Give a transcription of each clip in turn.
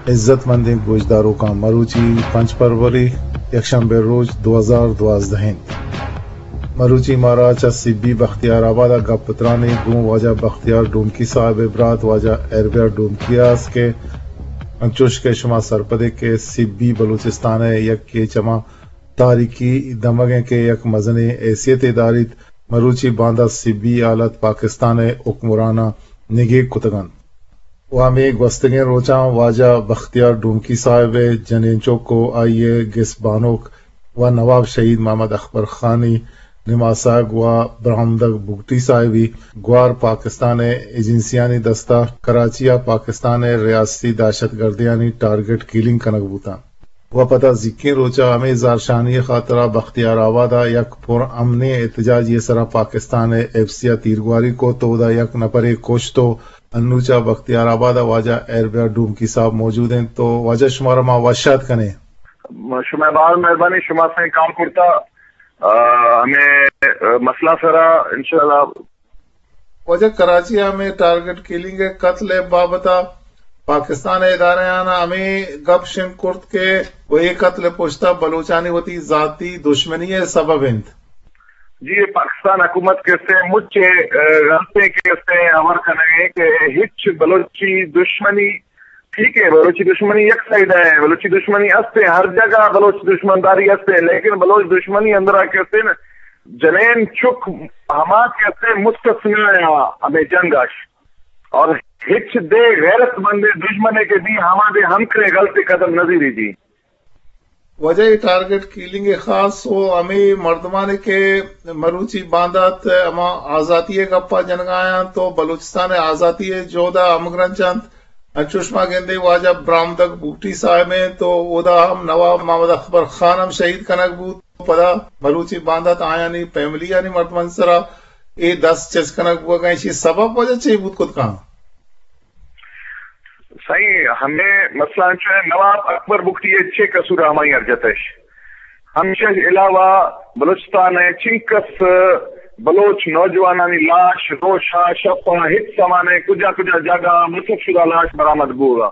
عزت مندیں گوشداروکاں، مروچی پنچ فروری، یکشنبے روچ، دو ہزار دوازدہ انت۔ مروچی مارا چہ سبی بختیار آباد ءَ گپ تران ایں گوں واجہ بختیار ڈومکی صاحب ءِ برات واجہ ایربیار ڈومکی ءَ است کہ انچوش کہ شما سرپد ئے کہ سبی بلوچستان ءِ یکے چما تاریخی دمگ انت کہ یک مزنیں حیثیتے داریت۔ مروچی باندا سبی حالت پاکستان ءِ حکمراناں نگیگ کتگ انت۔ و ہمے گوستگیں روچاں واجہ بختیار ڈومکی صاحب ءِ جنین چک و آئی ءِ گس بانک و نواب شہید محمد اکبر خانی نماسگ و برہمدگ بگٹی صاحبی گوار پاکستان ءِ ایجنسیانی دستا کراچی ءَ پاکستان ءِ ریاستی دہشت گردیانی ٹارگٹ کلنگ کنگ بوتاں۔ و پدا زیکیں روچا ہمے زہرشانی ءِ خاطرا بختیار آباد ءَ یک پر امنیں احتجاجی ءِ سرا پاکستان ءِ ایف سی ءَ تیرگواری کت و اودا یک نفرے کشت و انو چہ بختیار آباد ءَ واجہ ایربیار ڈومکی صاحب موجود انت۔ تو واجہ شمارا ما وش آتک کنیں۔ شمئے باز مہربانی، شما سئیں کال کرتا، آ، ہمے، آ، مسئلہ سرا انشاءاللہ۔ واجہ کراچی ءَ ہمے ٹارگٹ کلنگ ءِ قتل ءِ بابت ءَ پاکستان ءِ ادارہاں ہمے گپ شنگ کرت کہ و اے قتل ءِ پشت ءَ بلوچانی وتی ذاتی دشمنی ءِ سبب انت۔ جی، پاکستان حکومت کہ استیں مچ ءَ، آ، غلطیں کہ استیں ہبر کنگ ءَ کہ ہچ بلوچی دشمنی، ٹھیک ہے، بلوچی دشمنی یک سائیڈ ہے، بلوچی دشمنی استیں، ہر جگہ بلوچ دشمنداری استیں، لیکن بلوچ دشمنی اندرا کہ استیں نا، جنین چک ہما کہ استیں مستثنی ہے ہمیں جنگ اش، اور ہچ دے غیرت مند دشمن ہے کہ دی ہما دے ہم کرے غلط قدم نظیری دی۔ واجہ اے ٹارگٹ کلنگ ءِ خاص و ہمے مردمانے کہ مروچی باندات ہما آزاتی ءِ گپا جنگا انت و بلوچستان ءِ آزاتی ءِ جہد ءَ ہمگرنچ انت، انچوش ما گندیں واجہ برامدگ بگٹی صاحب انت و اودا ہم نواب محمد اکبر خان ہم شہید کنگ بوت۔ پدا مروچی باندات آیانی فیملیانی مردمانی سرا اے دست چست کنگ بوگا، ایشی سبب واجہ چے بوت کت کن؟ سائیں، ہمے مسئلہ انچو ہے، نواب اکبر بگٹی ءِ چے قصور ہمائی ارجتش؟ ہمیشہ علاوہ بلوچستان ءِ چنکس بلوچ نوجوانانی لاش روشا شپا ہچ سما نہ، کجا کجا جاگہ مسخ شدہ لاش برآمد بوگا۔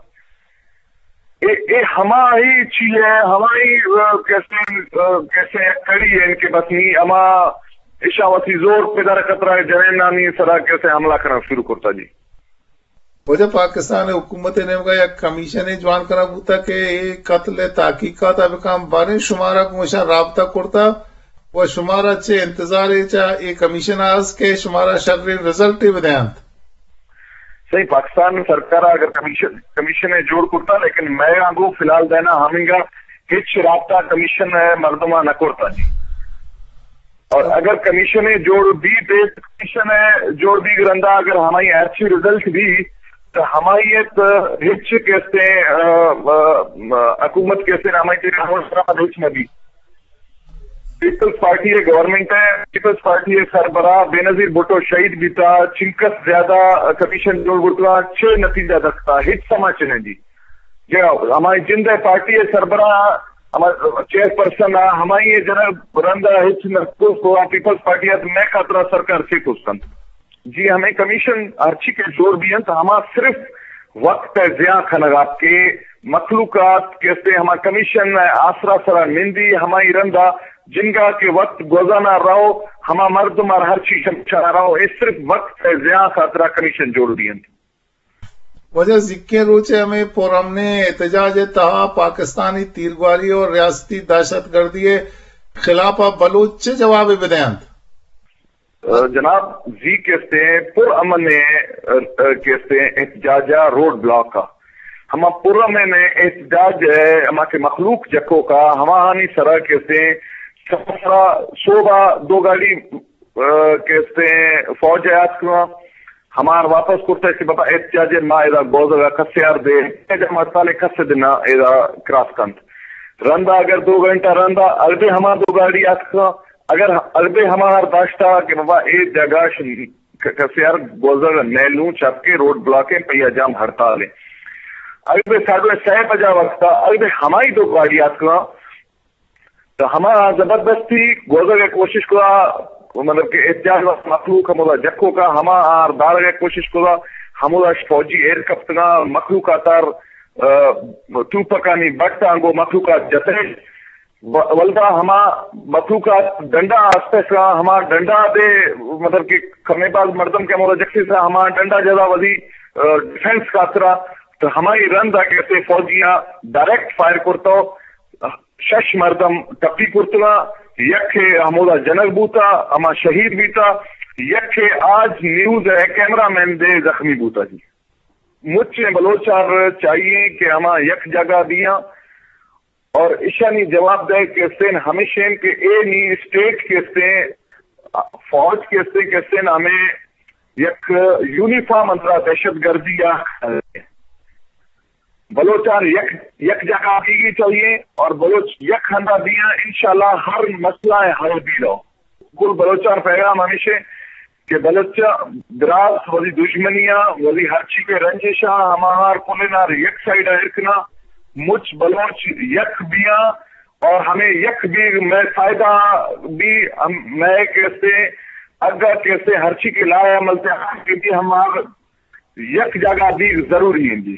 اے، اے ہمائی چی ہے، ہمائی، آ، کیسے، آ، کیسے کڑی ہے کہ بس نی ہما اشاں وتی زور پدر خطرہ جنینانی سرا کیسے حملہ کرنا شروع کرتا جی۔ واجہ پاکستان ءِ حکومت ءِ نیمگا یک کمیشنے جوان کنگ بوتگ کہ اے قتل ءِ تحقیقات ءَ بکن، باریں شمارا گوں اشاں رابطہ کرتگ و شمارا چہ انتظارے چہ اے کمیشن ءَ است کہ شمارا شریں رزلٹے بدینت؟ صحیح، پاکستان سرکار ءَ اگر کمیشن، کمیشن ءَ جوڑ کرتا، لیکن مئے آنگو فی الحال دینا ہمینگا ہچ رابطہ کمیشن ءِ مردماں نہ کرتا جی۔ اور اگر کمیشن ءِ جوڑ بیت، کمیشن ءِ جوڑ بیگ رندا اگر ہمائی ہرچی رزلٹ بی، تو ہمائی ات ہچ کیسے، آ، آ، آ، حکومت کیسے ہمائی تے ہمائی سرا ہچ نہ بی۔ پیپلز پارٹی ءِ گورنمنٹ ہے، پیپلز پارٹی ءِ سربراہ بینظیر بھٹو شہید بیتا، چنکس زیادہ کمیشن جوڑ بوتگا، چے نتیجہ دستا، ہچ سما چے نہ دی۔ جی ہاں، ہمائی جند ءِ پارٹی ءِ سربراہ، ہما چیئر پرسن ءَ ہمائی ءِ جنگ رند ءَ ہچ نہ کت، تو آ پیپلز پارٹی ءَ مئے خاطر ءَ سرکار چے کت کنت؟ جی ہمیں کمیشن ہرچی کہ جوڑ بی انت، ہما صرف وقت ءِ ضیاع کنگ ءَ کہ مخلوقات کہ استے ہما کمیشن ءِ آسرا سرا نندی، ہمائی رند ءَ جنگا کہ وقت گوزانا رہو، ہما مردم ار ہرچی شمشانا رہو، اے صرف وقت ءِ ضیاع خاطر ءَ کمیشن جوڑ بی انت۔ واجہ زیکیں روچ ءِ ہمے پرامنیں احتجاج ءِ تہا پاکستانی تیرگواری اور ریاستی دہشت گردی ءِ خلاف ءَ بلوچ چے جوابے بدینت؟ جناب، زی کہ استے پر امن ءِ، کہ استے احتجاج ءَ روڈ بلاک ءَ، ہما پر امن ءِ احتجاج ءِ ہما کہ مخلوق جکوک ءَ، ہماہانی سرا کہ استے سرا صوبہ دو گاڑی، کہ استے فوج ءِ آتکگاں، ہمار واپس کرتہ کہ بابا احتجاج ءَ ما ادا گوزگ ءَ کسے آر دے، جمع ہڑتال ءَ کسے دنا ادا کراس کنت۔ رندا اگر دو گھنٹہ رندا اگدے ہما دو گاڑی آتکاں، اگر اگدے ہما ہر داشتا کہ بابا اے جگہ ش-، ک-، کسے آر گوزگ ءَ نیلوں چپ کے روڈ بلاک ءَ پیا جام ہڑتال ءَ۔ اگدے ساڑھے سہ بجا وقتا اگدے ہمائی دو گاڑی آتکاں، تو ہما زبردستی گوزگ ءِ کوشش کتا، مطلب کہ احتجاج ءِ مخلوق ہمودا جکوکا، ہما آر دارگ ءِ کوشش کتا، ہمودا فوجی ایر کپتگا، مخلوق آتار آ، توپکانی بٹ آنگو مخلوقات جتئے، و-، ولدا ہما مخلوقات ڈنڈا آستہ کا ہما ڈنڈا دے، مطلب کہ کمے باز مردم کہ ہمودا جکسے سا ہما ڈنڈا جدا وزی، آ، ڈیفنس خاطرا، تو ہمائی رندا کہتے فوجیاں ڈائریکٹ فائر کرتو، شش مردم ٹپی کرتگاں، یکے ہمودا جنگ بوتا، ہما شہید بیتا، یکے آج نیوز ءِ کیمرہ مین دے زخمی بوتا جی۔ مچیں بلوچاں چاہیے کہ ہما یک جگہ بیاں اور اشانی جواب دے کہ استیں ہمیشیں کہ اے نی اسٹیٹ کہ استیں، فوج کہ استیں، کہ استیں ہمیں یک یونیفارم اندرا دہشت گردی یا بلوچان یک، یک جگہ بیگی چاہیے اور بلوچ یک ہندا دیاں، انشاءاللہ ہر مسئلہ حل بیلو۔ کل بلوچان پیغام ہمیشیں کہ بلوچ براس وزی دشمنیاں، وزی ہرچی کہ رنجشاں، ہماہار کلنار یک سائیڈ ایر کنا، مچ بلوچ یک بیاں اور ہمیں یک بیگ میں فائدہ بی، ہم میں کہتے اگا کہتے ہرچی کے لائے عمل سے ہم کہ بھی ہمار یک جاگہ بیگ ضروری ہیں جی۔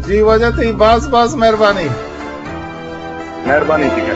جی واجہ تئی باز باز مہربانی۔ مہربانی جی۔